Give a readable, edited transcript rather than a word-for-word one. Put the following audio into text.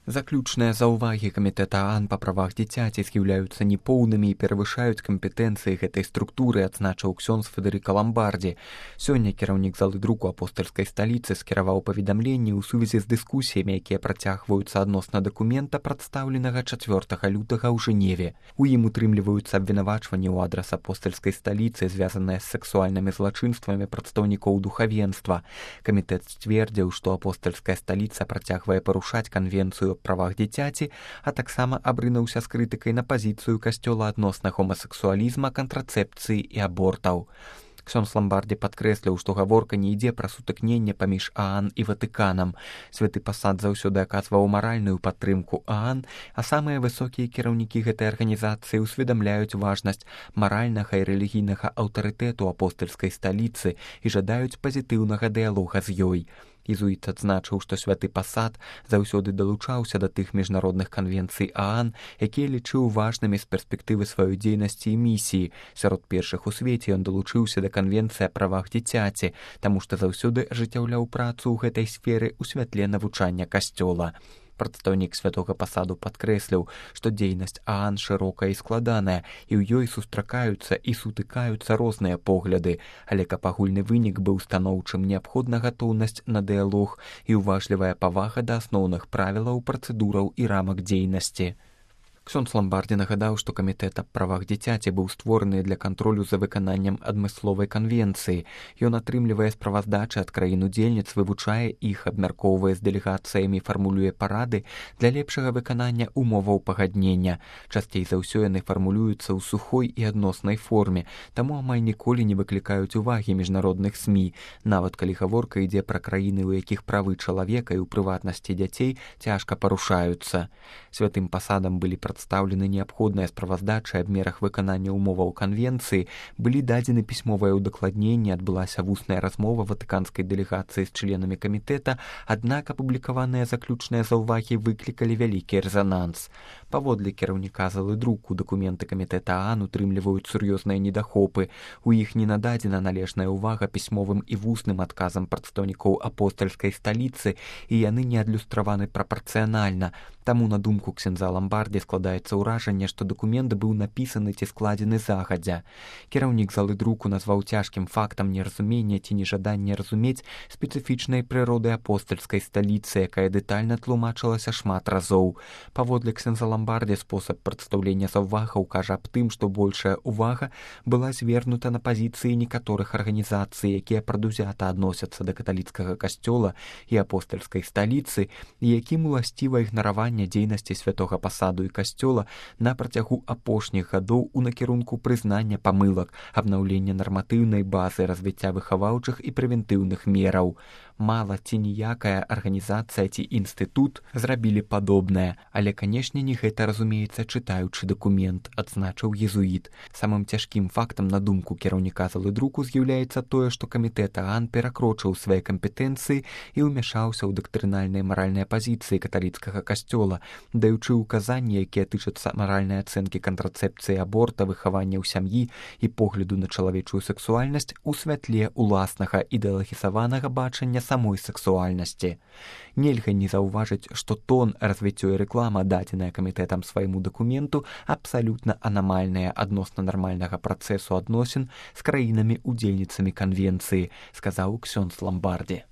Заключныя заўвагі камітэта ААН па правах дзіцяці з'яўляюцца непоўнымі і перавышаюць кампетэнцыі гэтай структуры, адзначыў ксёндз Федэрыка Ламбардзі. Сёння кіраўнік залы друку апостальскай сталіцы скіраваў паведамленні ў сувязі з дыскусіямі, якія працягваюцца адносна дакумента, прадстаўленага 4 лютага ў Жэневе. У ім утрымліваюцца абвінавачванні ў адрас апостальскай сталіцы, звязаныя з сексуальнымі злачынствамі прадстаўнікоў духавенства. Камітэт сцвердзіў, што апостальская сталіца працягвае парушаць канвенцыю правах дзіцяці, а таксама абрынуўся з крытыкай на пазіцыю касцёла адносна гомасексуалізма, кантрацэпцыі і абортаў. Ксёндз Ламбардзі падкрэсліў, што гаворка не ідзе пра сутыкненне паміж ААН і Ватыканам. Святы пасад заўсёды аказваў маральную падтрымку ААН, а самыя высокія кіраўнікі гэтай арганізацыі ўсведамляюць важнасць маральнага і рэлігійнага аўтарытэту апостальскай сталіцы і жадаюць пазітыўнага дыялога з ёй. Езуіт адзначыў, што святы пасад заўсёды далучаўся да тых міжнародных канвенцый ААН, якія лічыў важнымі з перспектывы сваёй дзейнасці і місіі. Сярод першых у свеце ён далучыўся да канвенцыі аб правах дзіцяці, таму што заўсёды ажыццяўляў працу ў гэтай сферы ў святле навучання касцёла. Прадстаўнік святога пасаду падкрэсліў, што дзейнасць ААН шырокая і складаная, і ў ёй сустракаюцца і сутыкаюцца розныя погляды, але каб агульны вынік быў станоўчым, неабходна гатоўнасць на дыялог і ўважлівая павага да асноўных правілаў, працэдураў і рамак дзейнасці. Ксёндз Ламбардзі нагадаў, што камітэт аб правах дзіцяці быў створаны для кантролю за выкананнем адмысловай канвенцыі. Ён атрымлівае справаздачы ад краін-удзельніц, вывучае іх, абмяркоўвае з дэлегацыямі, фармулюе парады для лепшага выканання умоваў пагаднення. Часцей за ўсё яны фармулююцца ў сухой і адноснай форме, таму амаль ніколі не выклікаюць увагі міжнародных СМІ, нават калі гаворка ідзе пра краіны, у якіх правы чалавека і ў прыватнасці дзяцей цяжка парушаюцца. Святым пасадам былі прадстаўлены неабходныя справаздачы аб мерах выканання ўмоваў канвенцыі, былі дадзены пісьмовыя ўдакладненні, адбылася вусная размова ватыканскай дэлегацыі з членамі камітэта, аднак апублікаваныя заключныя заўвагі выклікалі вялікі рэзананс. Паводле кіраўніка залы друку дакументы камітэта ААН утрымліваюць сур'ёзныя недахопы. У іх не нададзена належная ўвага пісьмовым і вусным адказам прадстаўнікоў апостальскай сталіцы, і яны не адлюстраваны прапарцыянальна. Таму, на думку ксёндза Ламбардзі, складаецца ўражанне, што дакумент быў напісаны ці складзены загадзя. Кіраўнік залы друку назваў цяжкім фактам неразумення ці нежадання разумець спецыфічнай прыроды апостальскай сталіцы, якая дэтальна тлумачылася шмат разоў. Паводле ксёндза Ламбардзі, спосаб прадстаўлення заўвагаў кажа аб тым, што большая ўвага была звернута на пазіцыі некаторых арганізацый, якія прадузята адносяцца да каталіцкага касцёла і апостальскай сталіцы, і якім уласціва ігнараванне дзейнасці святога пасаду і касцёла на працягу апошніх гадоў у накірунку прызнання памылак, абнаўлення нарматыўнай базы, развіцця выхаваўчых і прэвентыўных мераў. Мала ці ніякая арганізацыя ці інстытут зрабілі падобнае, але, канешне, не гэта разумеецца, чытаючы дакумент, адзначыў езуіт. Самым цяжкім фактам, на думку кіраўніка залы друку, з'яўляецца тое, што камітэт ААН перакрочыў свае кампетэнцыі і ўмяшаўся ў дактрынальныя маральныя пазіцыі каталіцкага касцёла, даючы ўказанні, якія тычацца маральнай ацэнкі кантрацэпцыі, аборта, выхавання ў сям'і і погляду на чалавечую сексуальнасць у святле уласнага ідэалагізаванага бачання самой сексуальнасці. Нельга не заўважыць, што тон, развіццё і рэклама, дадзеная камітэтам свайму дакументу, абсалютна анамальная адносна нармальнага працэсу адносін з краінамі-удзельніцамі канвенцыі, сказаў ксёндз Ламбардзі.